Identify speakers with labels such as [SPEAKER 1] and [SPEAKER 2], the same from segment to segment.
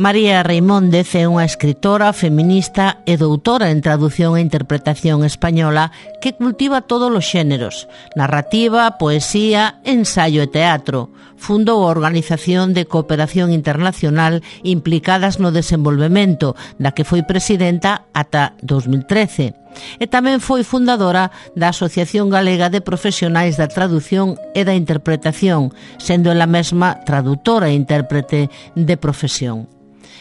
[SPEAKER 1] María Reimóndez é unha escritora, feminista e doutora en tradución e interpretación española que cultiva todos os xéneros: narrativa, poesía, ensaio e teatro. Fundou a Organización de Cooperación Internacional Implicadas no Desenvolvemento, da que foi presidenta ata 2013. E tamén foi fundadora da Asociación Galega de Profesionais da Tradución e da Interpretación, sendo ela mesma tradutora e intérprete de profesión.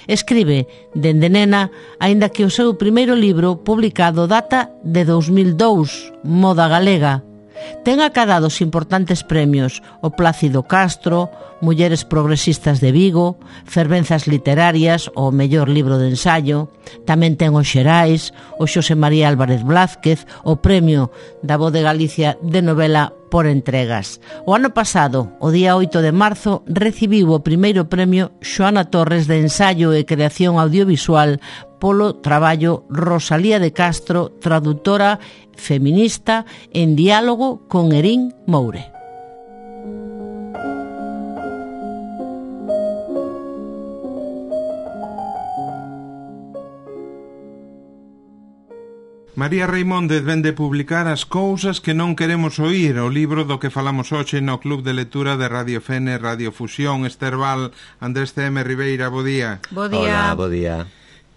[SPEAKER 1] Escribe dende nena, aínda que o seu primeiro libro publicado data de 2002, Moda Galega. Ten acadado os importantes premios o Plácido Castro, Mulleres Progresistas de Vigo, Fervenzas Literarias, o mellor libro de ensaio. Tamén ten os Xerais, o Xosé María Álvarez Blázquez, o premio da Voz de Galicia de novela por entregas. O ano pasado, o día 8 de marzo, recibiu o primeiro premio Xoana Torres de ensaio e creación audiovisual polo traballo Rosalía de Castro, traductora feminista en diálogo con Erín Moure.
[SPEAKER 2] María Reimóndez vén de publicar As cousas que non queremos oír, o libro do que falamos hoxe no Club de Lectura de Radio Fene, Radio Fusión. Esther Val, Andrés C.M. Ribeira, bo día.
[SPEAKER 1] Bo día.
[SPEAKER 3] Hola, bo día.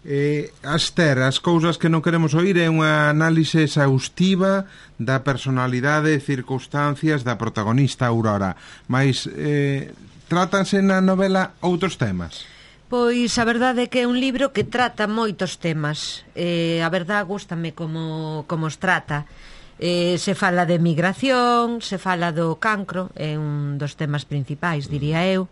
[SPEAKER 2] Esther, As cousas que non queremos oír é unha análise exhaustiva da personalidade e circunstancias da protagonista Aurora, mas trátanse na novela outros temas?
[SPEAKER 4] Pois a verdade é que é un libro que trata moitos temas. A verdade gústame como os trata. Se fala de migración, se fala do cancro, é un dos temas principais, diría eu.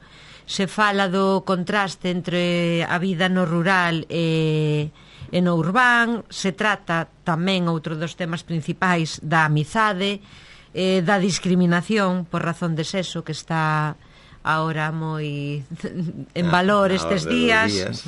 [SPEAKER 4] Se fala do contraste entre a vida no rural e no urbán. Se trata tamén outro dos temas principais da amizade, da discriminación por razón de sexo, que está ahora moi en valor estes días.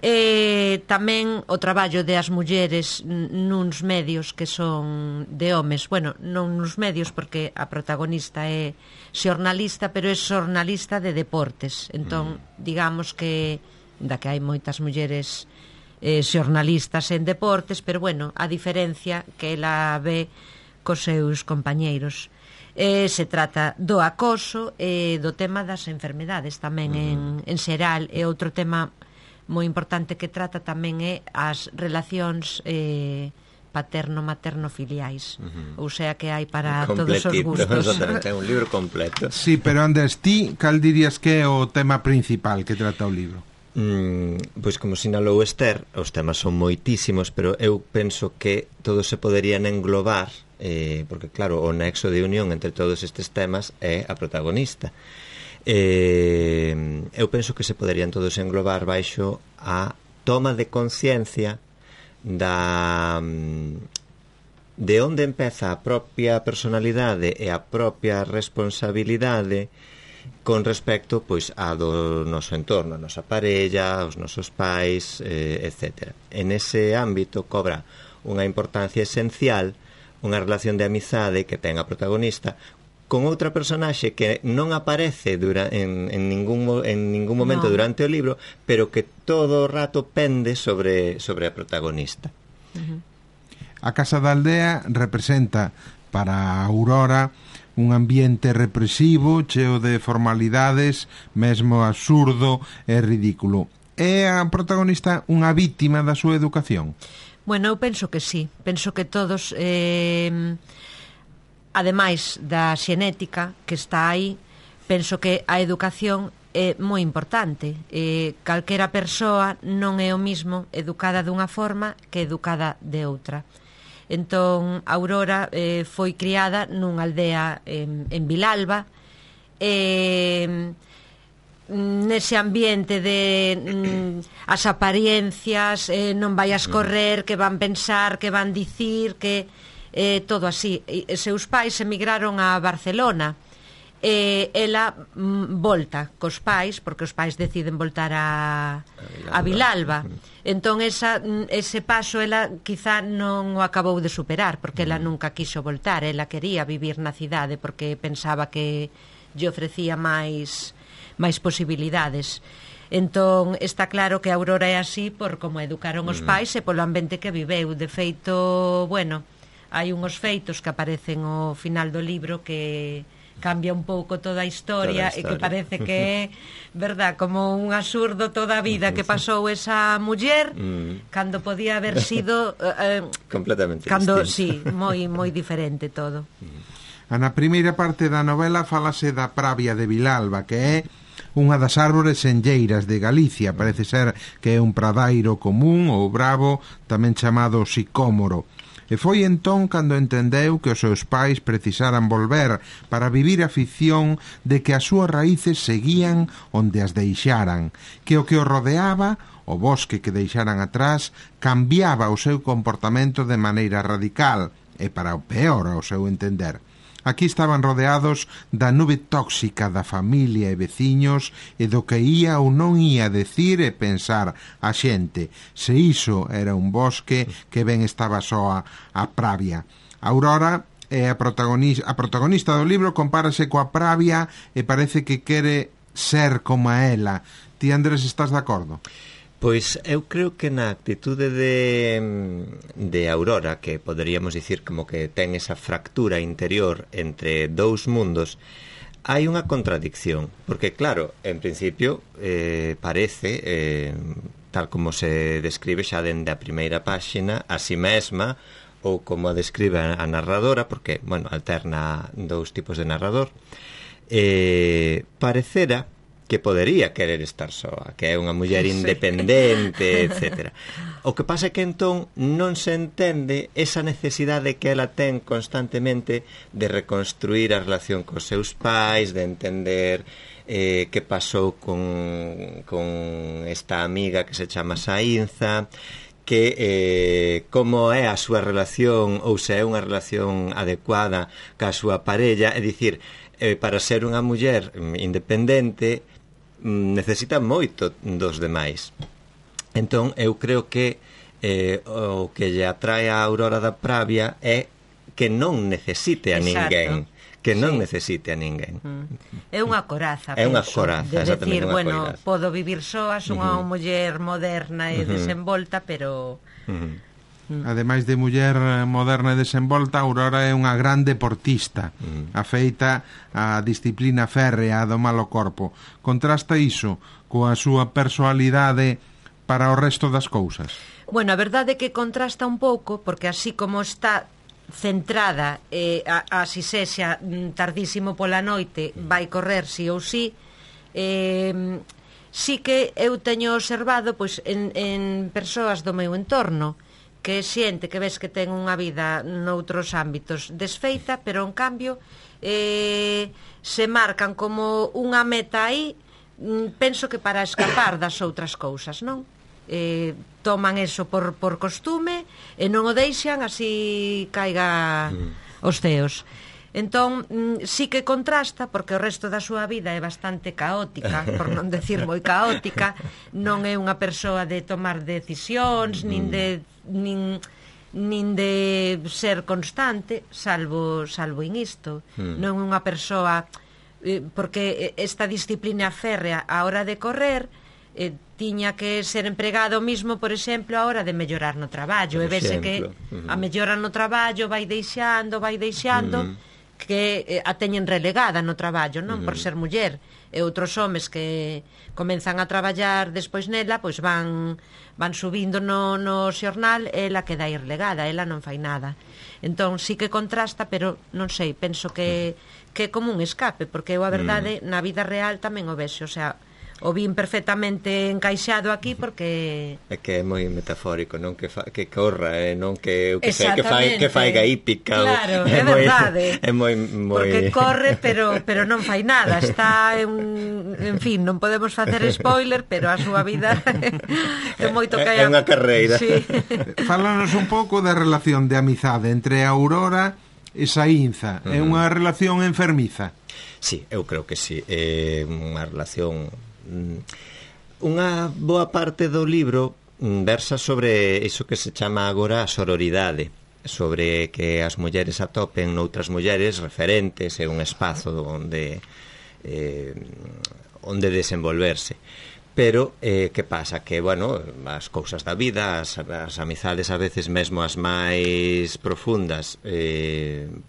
[SPEAKER 4] Tamén o traballo de as mulleres nuns medios que son de homes. Bueno, non nuns medios porque a protagonista é xornalista, pero é xornalista de deportes. Entón, digamos que da que hai moitas mulleres xornalistas en deportes, pero bueno, a diferencia que ela ve cos seus compañeiros. Se trata do acoso e do tema das enfermedades tamén en xeral. E outro tema moi importante que trata tamén é as relacións paterno-materno-filiais. Ou sea que hai para todos os gustos.
[SPEAKER 3] É un libro completo.
[SPEAKER 2] Sí, pero Andrés, ti cal dirías que é o tema principal que trata o libro?
[SPEAKER 3] Pois como sinalou Esther, os temas son moitísimos, pero eu penso que todos se poderían englobar, porque claro, o nexo de unión entre todos estes temas é a protagonista. Eu penso que se poderían todos englobar baixo a toma de conciencia de onde empeza a propia personalidade e a propia responsabilidade con respecto pois a do noso entorno, a nosa parella, os nosos pais, etc. En ese ámbito cobra unha importancia esencial unha relación de amizade que ten a protagonista con outra personaxe que non aparece en ningún momento durante o libro, pero que todo o rato pende sobre a protagonista.
[SPEAKER 2] A Casa da Aldea representa para Aurora un ambiente represivo, cheo de formalidades, mesmo absurdo e ridículo. É a protagonista unha vítima da súa educación?
[SPEAKER 4] Bueno, eu penso que sí. Penso que todos, ademais da xenética que está aí, penso que a educación é moi importante. Calquera persoa non é o mismo educada dunha forma que educada de outra. Entón, Aurora foi criada nunha aldea en Vilalba, nese ambiente de as apariencias, non vayas correr, que van pensar, que van dicir, que todo así. Seus pais emigraron a Barcelona ela volta cos pais, porque os pais deciden voltar a Vilalba. Entón ese paso ela quizá non o acabou de superar, porque ela nunca quiso voltar, ela quería vivir na cidade porque pensaba que lle ofrecía máis posibilidades. Entón está claro que a Aurora é así por como educaron os pais e polo ambiente que viveu. De feito, bueno, hai unhos feitos que aparecen ao final do libro que cambia un pouco toda a historia e que parece que é, verdad, como un absurdo toda a vida que pasou esa muller cando podía haber sido
[SPEAKER 3] completamente
[SPEAKER 4] distinto. Sí,
[SPEAKER 3] distinto.
[SPEAKER 4] moi diferente todo.
[SPEAKER 2] Na primeira parte da novela fálase da Pravia de Vilalba, que é unha das árbores enlleiras de Galicia. Parece ser que é un pradairo común ou bravo, tamén chamado sicómoro. E foi entón cando entendeu que os seus pais precisaran volver para vivir a ficción de que as súas raíces seguían onde as deixaran, que o rodeaba, o bosque que deixaran atrás, cambiaba o seu comportamento de maneira radical, e para o peor ao seu entender. Aquí estaban rodeados da nube tóxica da familia e veciños e do que ia ou non ia decir e pensar a xente, se iso era un bosque que ben estaba só a Pravia. Aurora é a protagonista do libro, compárase coa Pravia e parece que quere ser como a ela. Ti, Andrés, estás de acordo?
[SPEAKER 3] Pois eu creo que na actitude de Aurora, que poderíamos dicir como que ten esa fractura interior entre dous mundos, hai unha contradicción, porque claro, en principio parece, tal como se describe xa dende a primeira páxina, a si mesma, ou como a describe a narradora, porque, bueno, alterna dous tipos de narrador, parecera que podería querer estar soa, que é unha muller independente, etc. O que pasa é que entón non se entende esa necesidade que ela ten constantemente de reconstruir a relación cos seus pais, de entender que pasou con esta amiga que se chama Saínza, que como é a súa relación ou se é unha relación adecuada ca súa parella, é dicir, para ser unha muller independente necesita moito dos demais. Entón eu creo que o que lle atrae a Aurora da Pravia é que non necesite a ninguén, que non necesite a ninguén.
[SPEAKER 4] É unha coraza,
[SPEAKER 3] é unha coraza,
[SPEAKER 4] de decir,
[SPEAKER 3] unha
[SPEAKER 4] bueno,
[SPEAKER 3] coraza.
[SPEAKER 4] podo vivir soa, son unha muller moderna e desenvolta, pero
[SPEAKER 2] Ademais de muller moderna e desenvolta, Aurora é unha gran deportista, afeita a disciplina férrea do malo corpo. Contrasta iso coa súa personalidade para o resto das cousas?
[SPEAKER 4] Bueno, a verdade é que contrasta un pouco, porque así como está centrada así sexa tardísimo pola noite, vai correr sí ou sí, sí que eu teño observado pois en persoas do meu entorno que xente que ves que ten unha vida noutros ámbitos desfeita, pero en cambio se marcan como unha meta aí, penso que para escapar das outras cousas, non? Toman eso por costume e non o deixan, así caiga os ceos. Entón, sí que contrasta, porque o resto da súa vida é bastante caótica, por non decir moi caótica, non é unha persoa de tomar decisións, nin de ser constante, salvo en isto. Non é unha persoa, porque esta disciplina férrea a hora de correr tiña que ser empregado mismo, por exemplo, a hora de mellorar no traballo, e vese que a mellora no traballo vai deixando que a teñen relegada no traballo, non? Por ser muller. E outros homes que comenzan a traballar despois nela, pois van subindo no xornal, e ela queda aí relegada, ela non fai nada. Entón sí que contrasta, pero non sei, penso que é como un escape, porque eu a verdade na vida real tamén o vexo, o sea, o vin perfectamente encaixado aquí, porque
[SPEAKER 3] é que é moi metafórico, non que corra, non que faiga hípica.
[SPEAKER 4] Claro, é verdade.
[SPEAKER 3] É moi
[SPEAKER 4] porque corre, pero non fai nada, está en fin, non podemos facer spoiler, pero a súa vida é moito que
[SPEAKER 3] é unha carreira.
[SPEAKER 4] Sí.
[SPEAKER 2] Fálanos un pouco da relación de amizade entre Aurora Saínza. É unha relación enfermiza?
[SPEAKER 3] Sí, eu creo que sí. É unha relación... Unha boa parte do libro versa sobre iso que se chama agora a sororidade, sobre que as mulleres atopen noutras mulleres referentes e un espazo onde desenvolverse. Pero, que pasa? Que, bueno, as cousas da vida, as amizades a veces mesmo as máis profundas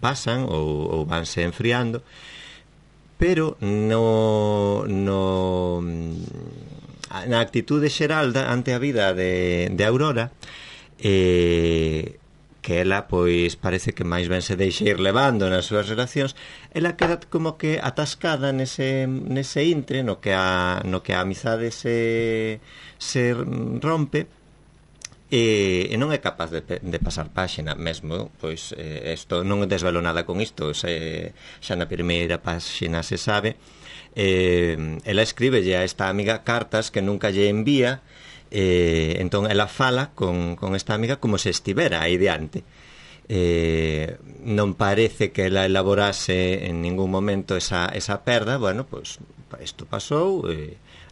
[SPEAKER 3] pasan ou vanse enfriando, pero na actitude xeral ante a vida de Aurora, que ela, pois, parece que máis ben se deixa ir levando nas súas relacións, ela queda como que atascada nese intre no que a amizade se rompe, e non é capaz de pasar páxina mesmo, pois isto non desvelo nada con isto, xa na primeira páxina se sabe. Ela escríbelle a esta amiga cartas que nunca lle envía, entón ela fala con esta amiga como se estivera aí diante. Non parece que ela elaborase en ningún momento esa perda. Bueno, pois isto pasou,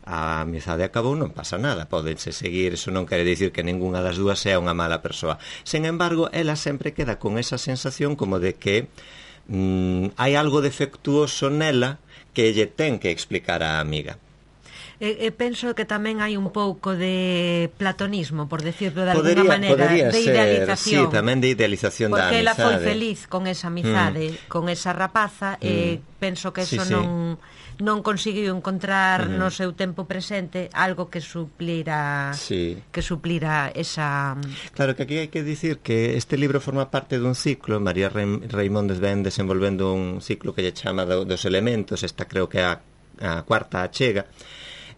[SPEAKER 3] a amizade acabou, non pasa nada, pódense seguir, eso non quere dicir que ningunha das dúas sea unha mala persoa. Sen embargo, ela sempre queda con esa sensación como de que hai algo defectuoso nela que lle ten que explicar á amiga.
[SPEAKER 4] Penso que tamén hai un pouco de platonismo, por decirlo de alguna maneira, de idealización.
[SPEAKER 3] Sí, tamén de idealización da amizade.
[SPEAKER 4] Porque ela foi feliz con esa amizade, con esa rapaza, e penso que eso non conseguiu encontrar no seu tempo presente algo que suplira esa...
[SPEAKER 3] Claro, que aquí hai que dicir que este libro forma parte dun ciclo. María Reimóndez ven desenvolvendo un ciclo que lle chama dos elementos. Esta creo que é a cuarta achega.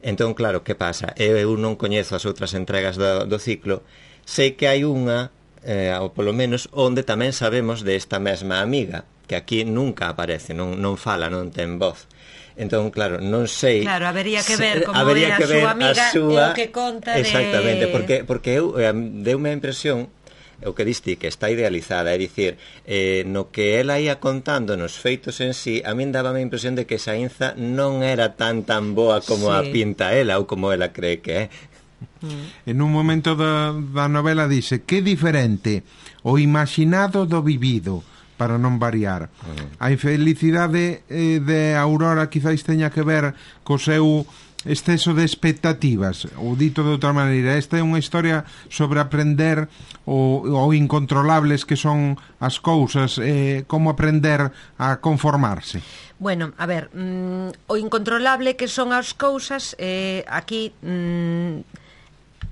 [SPEAKER 3] Entón, claro, que pasa? Eu non coñezo as outras entregas do ciclo. Sei que hai unha, ou polo menos, onde tamén sabemos de esta mesma amiga, que aquí nunca aparece, non fala, non ten voz. Entón, claro, non sei...
[SPEAKER 4] Claro, habería que ver como é a súa amiga e o que conta de...
[SPEAKER 3] Exactamente, porque eu deume a impresión, o que diste, que está idealizada, é dicir, no que ela ia contando nos feitos en sí, a min daba a impresión de que Saínza non era tan boa como a pinta ela, ou como ela cree que é.
[SPEAKER 2] En un momento da novela dice: que diferente o imaginado do vivido, para non variar. A infelicidade de Aurora quizáis teña que ver co seu exceso de expectativas, ou dito de outra maneira, esta é unha historia sobre aprender o incontrolables que son as cousas, como aprender a conformarse.
[SPEAKER 4] Bueno, a ver, o incontrolable que son as cousas, aquí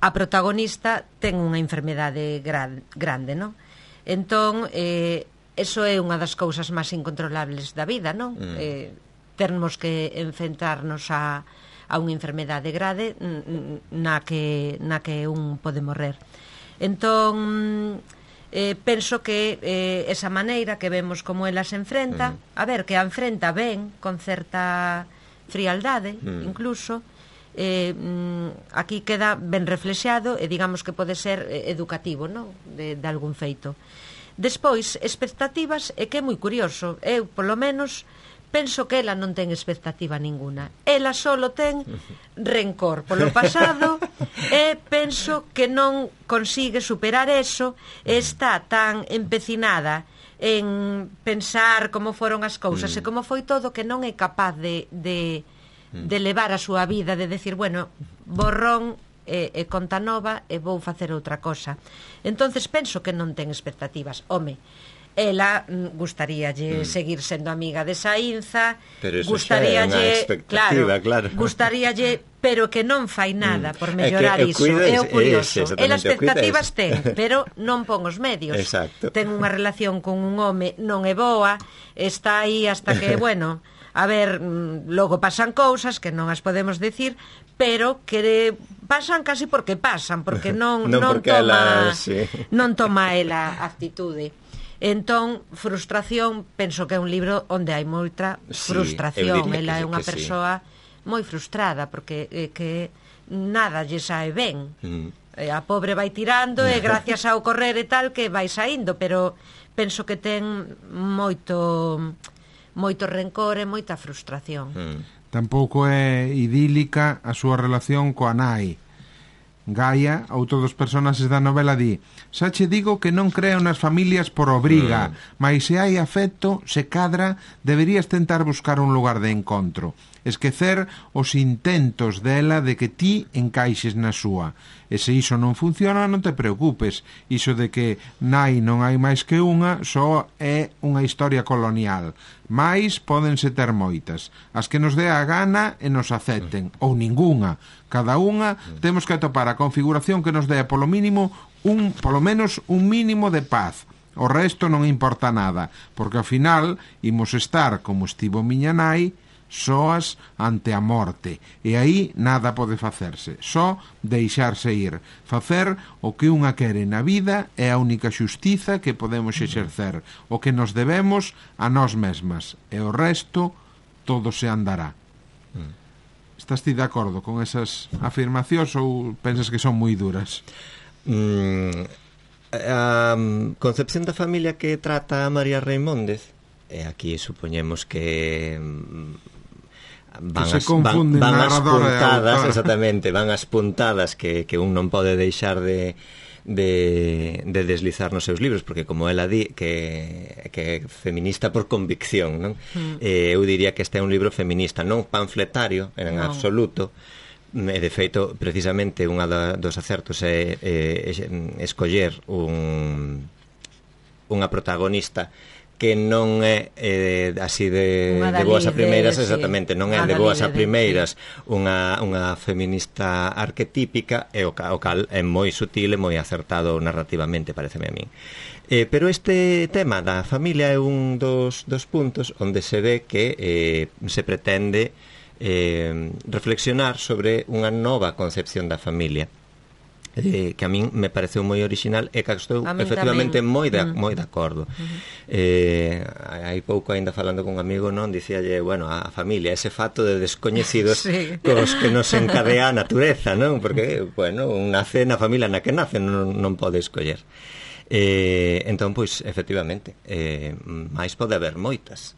[SPEAKER 4] a protagonista ten unha enfermedade grande, non? Entón, eso é unha das cousas máis incontrolables da vida, non? Termos que enfrentarnos a unha enfermedade grave na que un pode morrer. Entón, penso que esa maneira que vemos como ela se enfrenta, a ver, que a enfrenta ben, con certa frialdade, incluso, aquí queda ben reflexado e digamos que pode ser educativo, non? De algún feito. Despois, expectativas, é que é moi curioso. Eu, polo menos, penso que ela non ten expectativa ninguna. Ela solo ten rencor polo pasado e penso que non consigue superar eso e está tan empecinada en pensar como foron as cousas e como foi todo que non é capaz de levar a súa vida, de decir, bueno, borrón e conta nova e vou facer outra cosa. Entonces penso que non ten expectativas. Home, ela gustaríalle seguir sendo amiga de Saínza, gustaríalle, claro, gustaríalle, pero que non fai nada por mellorar iso. É o curioso. Ela expectativas ten, pero non pon os medios.
[SPEAKER 3] Exacto.
[SPEAKER 4] Ten unha relación con un home, non é boa, está aí hasta que, bueno, a ver, logo pasan cousas que non as podemos decir, pero que pasan casi porque pasan, porque non toma ela actitude. Entón, frustración, penso que é un libro onde hai moita frustración. Ela é unha persoa moi frustrada porque que nada lle sae ben. A pobre vai tirando e gracias ao correr e tal que vai saindo, pero penso que ten moito rencor e moita frustración.
[SPEAKER 2] Tampouco é idílica a súa relación coa nai. Gaia, outro dos personaxes da novela, di: xa che digo que non creo nas familias por obriga, mas se hai afecto, se cadra, deberías tentar buscar un lugar de encontro, esquecer os intentos dela de que ti encaixes na súa. E se iso non funciona, non te preocupes. Iso de que nai non hai máis que unha só é unha historia colonial. Mais pódense ter moitas. As que nos dé a gana e nos acepten, ou ningunha. Cada unha temos que atopar a configuración que nos dé polo menos un mínimo de paz. O resto non importa nada, porque ao final imos estar como estivo miña nai, soas ante a morte, e aí nada pode facerse, só deixarse ir. Facer o que unha quere na vida é a única xustiza que podemos exercer, o que nos debemos a nós mesmas, e o resto todo se andará. Estás ti de acordo con esas afirmacións ou pensas que son moi duras?
[SPEAKER 3] A concepción da familia que trata a María Reimóndez, e aquí supoñemos que van as puntadas, exactamente, van as puntadas que un non pode deixar de deslizar nos seus libros, porque como ela di que é feminista por convicción, non? Eu diría que este é un libro feminista, non panfletario en absoluto. E de feito, precisamente un dos acertos é escoller unha protagonista que non é así de boas a primeiras, exactamente, non é de boas a primeiras unha feminista arquetípica, e o cal é moi sutil e moi acertado narrativamente, pareceme a min. Pero este tema da familia é un dos puntos onde se ve que se pretende reflexionar sobre unha nova concepción da familia, que a min me pareceu moi original e que estou efectivamente moi de acordo. Hai pouco, ainda falando con un amigo, non dicíalle, bueno, a familia, ese fato de descoñecidos cos que nos encadea a natureza, non? Porque, bueno, un nace na familia na que nace, non pode escoller. Entón, pois, efectivamente, máis pode haber moitas.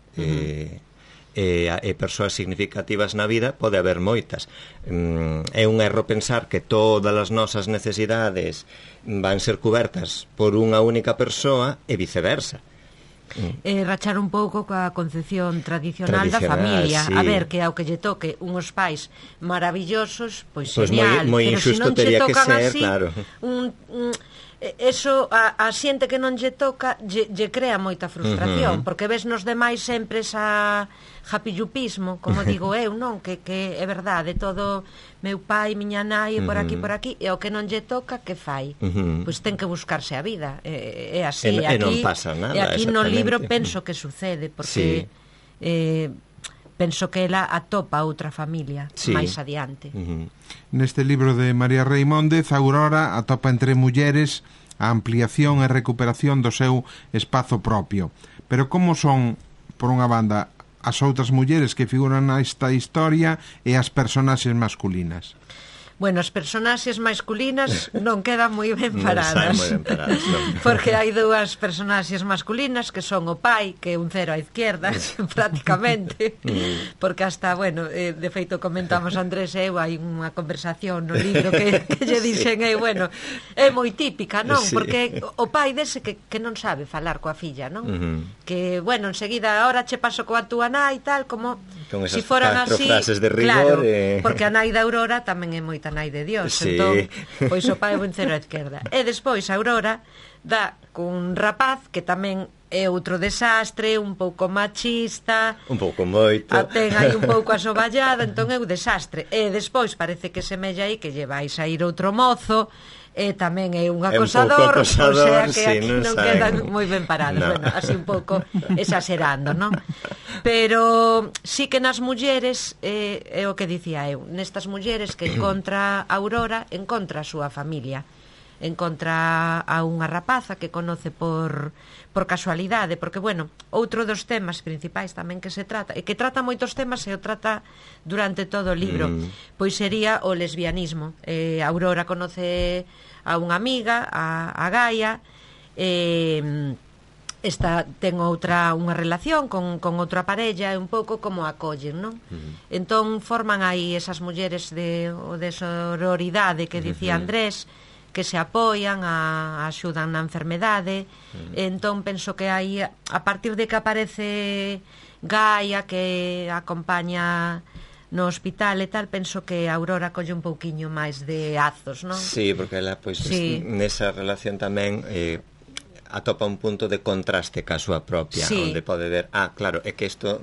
[SPEAKER 3] E persoas significativas na vida pode haber moitas. É un erro pensar que todas as nosas necesidades van ser cubertas por unha única persoa e viceversa.
[SPEAKER 4] Rachar un pouco coa concepción tradicional da familia, sí. A ver, que ao que lle toque unhos pais maravillosos, pois genial,
[SPEAKER 3] moi
[SPEAKER 4] pero se non
[SPEAKER 3] lle
[SPEAKER 4] tocan
[SPEAKER 3] ser,
[SPEAKER 4] así,
[SPEAKER 3] claro.
[SPEAKER 4] Eso a xente que non lle toca lle crea moita frustración, porque ves nos demais sempre esa japillupismo, como digo eu, non? Que é verdade, todo meu pai, miña nai, por aquí, e ao que non lle toca, que fai? Pois ten que buscarse a vida, é así.
[SPEAKER 3] E non pasa nada,
[SPEAKER 4] e aquí no libro penso que sucede, porque penso que ela atopa outra familia máis adiante.
[SPEAKER 2] Neste libro de María Reimóndez, Aurora atopa entre mulleres a ampliación e recuperación do seu espazo propio. Pero como son, por unha banda, as outras mulleres que figuran nesta historia e as personaxes masculinas?
[SPEAKER 4] Bueno, as personaxes masculinas non quedan moi ben paradas.
[SPEAKER 3] Non moi ben paradas, non.
[SPEAKER 4] Porque hai dúas personaxes masculinas que son o pai, que é un cero á izquierda, prácticamente. Porque hasta, bueno, de feito comentamos Andrés e eu, hai unha conversación no libro que lle dixen eu, bueno, é moi típica, non? Porque o pai dese que non sabe falar coa filla, non? Que, bueno, enseguida, ahora che paso coa túa nai e tal, como si foran así,
[SPEAKER 3] frases de rigor,
[SPEAKER 4] claro, porque a nai da Aurora tamén é moita nai de Dios, entón, pois o pai é un cero á izquierda. E despois a Aurora dá cun rapaz que tamén é outro desastre, un pouco machista,
[SPEAKER 3] un pouco moito,
[SPEAKER 4] ten aí un pouco asoballada, entón é un desastre. E despois parece que semella aí que lle vai sair outro mozo, e tamén é un acosador, o sea que aquí non quedan moi ben parados, bueno, así un pouco exagerando, non? Pero sí que nas mulleres, é o que dicía eu, nestas mulleres que encontra Aurora, encontra a súa familia. encontra a unha rapaza que conoce por casualidade, porque, bueno, outro dos temas principais tamén que se trata, e que trata moitos temas e o trata durante todo o libro, pois sería o lesbianismo. Aurora conoce a unha amiga, a Gaia, ten unha relación con outra parella, e un pouco como a acollen, non? Entón forman aí esas mulleres de sororidade que dicía Andrés, que se apoian, axudan na enfermedade. Entón penso que aí, a partir de que aparece Gaia, que acompaña no hospital e tal, penso que a Aurora colle un pouquiño máis de azos, non?
[SPEAKER 3] Sí, porque ela, pois, nesa relación tamén atopa un punto de contraste ca súa propia, onde pode ver, claro, é que isto...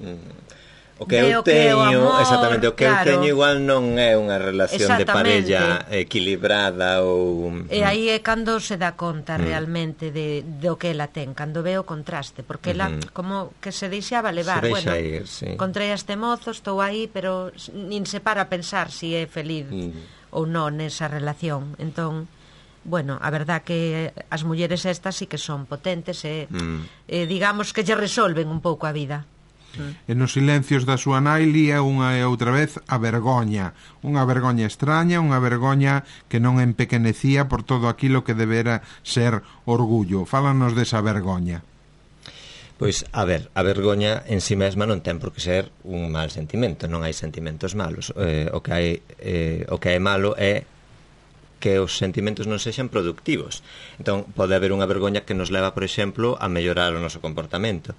[SPEAKER 3] O que eu teño, exactamente, o que eu teño igual non é unha relación de parella equilibrada ou...
[SPEAKER 4] E aí é cando se dá conta realmente do que ela ten, cando ve o contraste, porque ela como que se deixaba levar, bueno, encontrei a este mozo, estou aí, pero nin se para a pensar si é feliz ou non nesa relación. Entón, bueno, a verdad que as mulleres estas sí que son potentes e digamos que lle resolven un pouco a vida.
[SPEAKER 2] E nos silencios da súa nai lía unha e outra vez a vergoña, unha vergoña extraña, unha vergoña que non empequenecía por todo aquilo que debera ser orgullo. Fálanos desa vergoña.
[SPEAKER 3] Pois, a ver, a vergoña en si mesma non ten por que ser un mal sentimento, non hai sentimentos malos. O que é malo é que os sentimentos non sexan productivos. Entón, pode haber unha vergoña que nos leva, por exemplo, a mellorar o noso comportamento.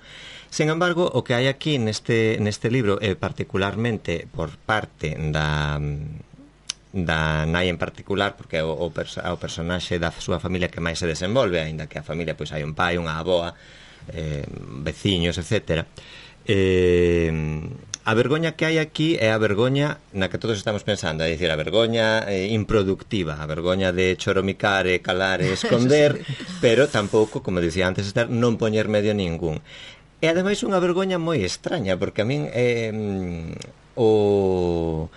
[SPEAKER 3] Sen embargo, o que hai aquí neste libro, particularmente por parte da nai en particular, porque é o personaxe da súa familia que máis se desenvolve, aínda que a familia pois hai un pai, unha avoa, veciños, etc. A vergoña que hai aquí é a vergoña na que todos estamos pensando, é dicir, a vergoña improductiva, a vergoña de choromicar e calar e esconder, pero tampouco, como dicía antes Esther, non poñer medio ningún. E ademais unha vergoña moi extraña, porque a min o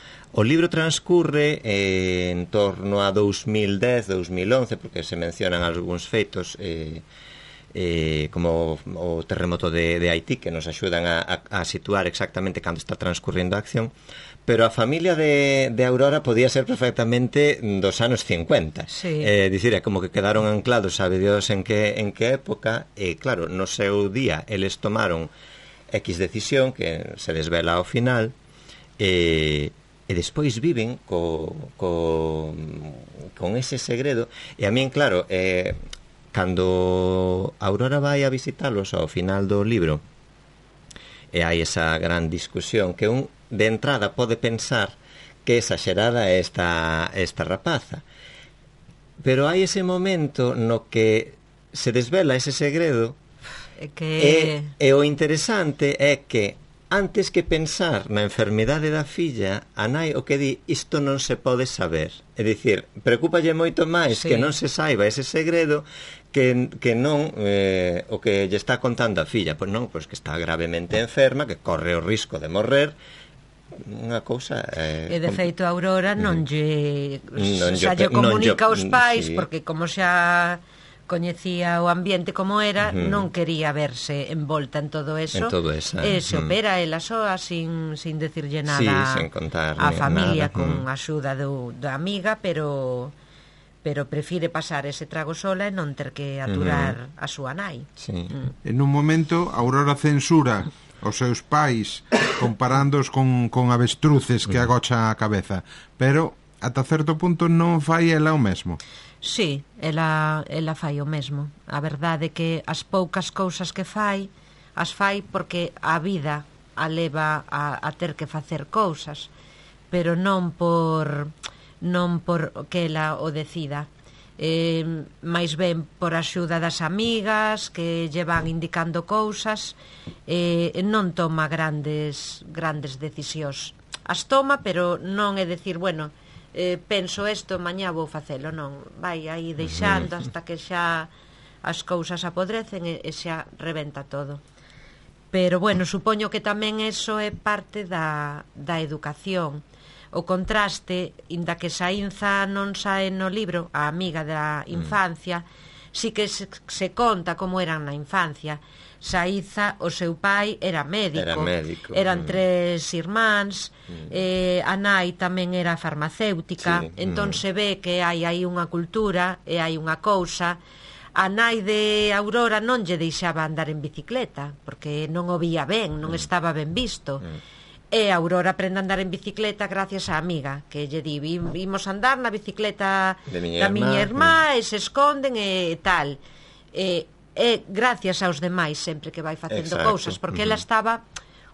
[SPEAKER 3] libro transcurre en torno a 2010, 2011, porque se mencionan algúns feitos como o terremoto de Haití, que nos axudan a situar exactamente cando está transcurrindo a acción, pero a familia de Aurora podía ser perfectamente dos anos 50. Dicir, é como que quedaron anclados, sabe Dios en que época, e claro, no seu día eles tomaron X decisión que se desvela ao final, e despois viven con ese segredo. E a min, claro, cando Aurora vai a visitalos ao final do libro, e hai esa gran discusión que un de entrada pode pensar que exagerada é esta rapaza, pero hai ese momento no que se desvela ese segredo, e o interesante é que antes que pensar na enfermidade da filla, a nai o que di, isto non se pode saber, é dicir, preocúpalle moito máis que non se saiba ese segredo que non o que lle está contando a filla. Pois non, pois que está gravemente enferma, que corre o risco de morrer, unha cousa...
[SPEAKER 4] E de feito a Aurora non lle comunica aos pais, porque como xa coñecía o ambiente como era, non quería verse envolta en todo eso, e se opera ela soa sin decirlle nada
[SPEAKER 3] sin contar
[SPEAKER 4] a familia, con axuda da amiga, pero prefire pasar ese trago sola e non ter que aturar a súa nai.
[SPEAKER 2] En un momento Aurora censura os seus pais comparándoos con avestruces que agochan a cabeza, pero ata certo punto non fai ela o mesmo.
[SPEAKER 4] Sí, ela fai o mesmo. A verdade é que as poucas cousas que fai, as fai porque a vida a leva a ter que facer cousas, pero non por que ela o decida. máis ben por axuda das amigas que lle van indicando cousas, non toma grandes decisións. As toma, pero non é decir, bueno, penso isto, mañá vou facelo, non. Vai aí deixando hasta que xa as cousas apodrecen e xa rebenta todo. Pero, bueno, supoño que tamén eso é parte da educación. o contraste, inda que Saínza non sae no libro, a amiga da infancia, sí que se conta como eran na infancia. Saíza, o seu pai era médico. Eran 3 irmáns, a nai tamén era farmacéutica, entón se ve que hai aí unha cultura e hai unha cousa. A nai de Aurora non lle deixaba andar en bicicleta, porque non o vía ben, non estaba ben visto. E Aurora aprende a andar en bicicleta gracias á amiga, que lle di, vimos andar na bicicleta da miña irmá, e se esconden e tal. E gracias aos demais sempre que vai facendo cousas, porque ela estaba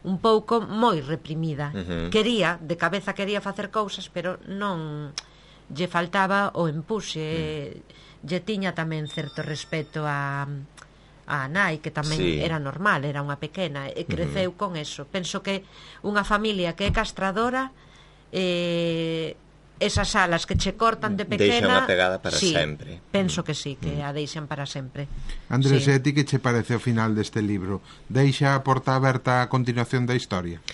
[SPEAKER 4] un pouco moi reprimida. Quería, de cabeza quería facer cousas, pero non lle faltaba o empuxe. Lle tiña tamén certo respeto a nai, que tamén era normal, era unha pequena, e creceu con eso. Penso que unha familia que é castradora, esas alas que che cortan de pequena,
[SPEAKER 3] deixan a pegada para sempre.
[SPEAKER 4] Penso que sí, que a deixan para sempre.
[SPEAKER 2] Andrés, e ti que che parece o final deste libro? Deixa a porta aberta a continuación da historia?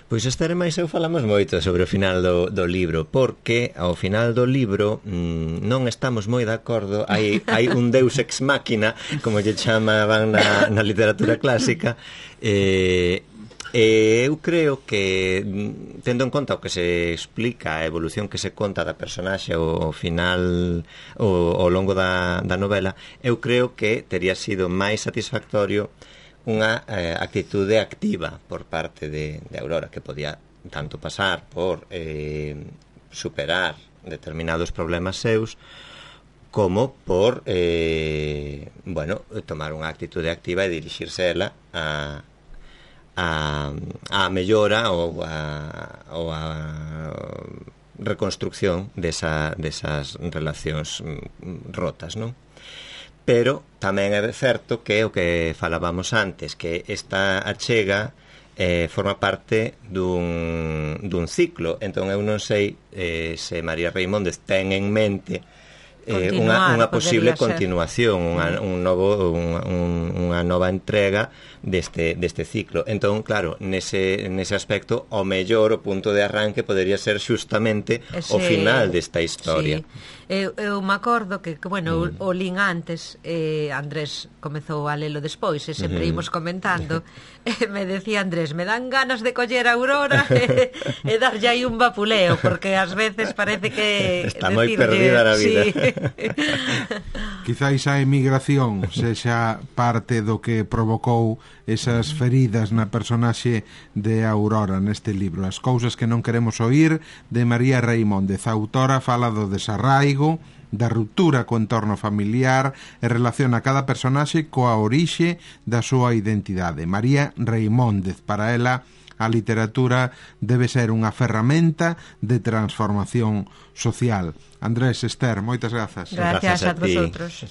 [SPEAKER 3] Pois Esther e máis eu falamos moito sobre o final do libro, porque ao final do libro non estamos moi de acordo. Hai un deus ex machina, como lle chamaban na literatura clásica, eu creo que, tendo en conta o que se explica, a evolución que se conta da personaxe ao final, ao longo da novela, eu creo que tería sido máis satisfactorio unha actitude activa por parte de Aurora, que podía tanto pasar por superar determinados problemas seus, como por tomar unha actitude activa e dirixirse ela a mellora ou a reconstrucción desas relacións rotas, non? Pero tamén é certo que o que falábamos antes, que esta achega forma parte dun ciclo. Entón eu non sei se María Reimóndez ten en mente unha posible continuación, unha nova entrega deste ciclo. Entón, claro, nese aspecto, o mellor, o punto de arranque podería ser xustamente o final desta historia.
[SPEAKER 4] Eu me acordo que bueno, o lin antes, Andrés comezou a lelo despois, e sempre imos comentando, e me decía Andrés, me dan ganas de coller a Aurora e darlle aí un vapuleo, porque ás veces parece que
[SPEAKER 3] está moi perdida na vida.
[SPEAKER 2] Quizáis a emigración sexa parte do que provocou esas feridas na personaxe de Aurora neste libro. As cousas que non queremos oír, de María Reimóndez. A autora fala do desarraigo, da ruptura co entorno familiar e relaciona cada personaxe coa orixe da súa identidade. María Reimóndez, para ela, a literatura debe ser unha ferramenta de transformación social. Andrés, Esther, moitas grazas.
[SPEAKER 4] Gracias a vosotros.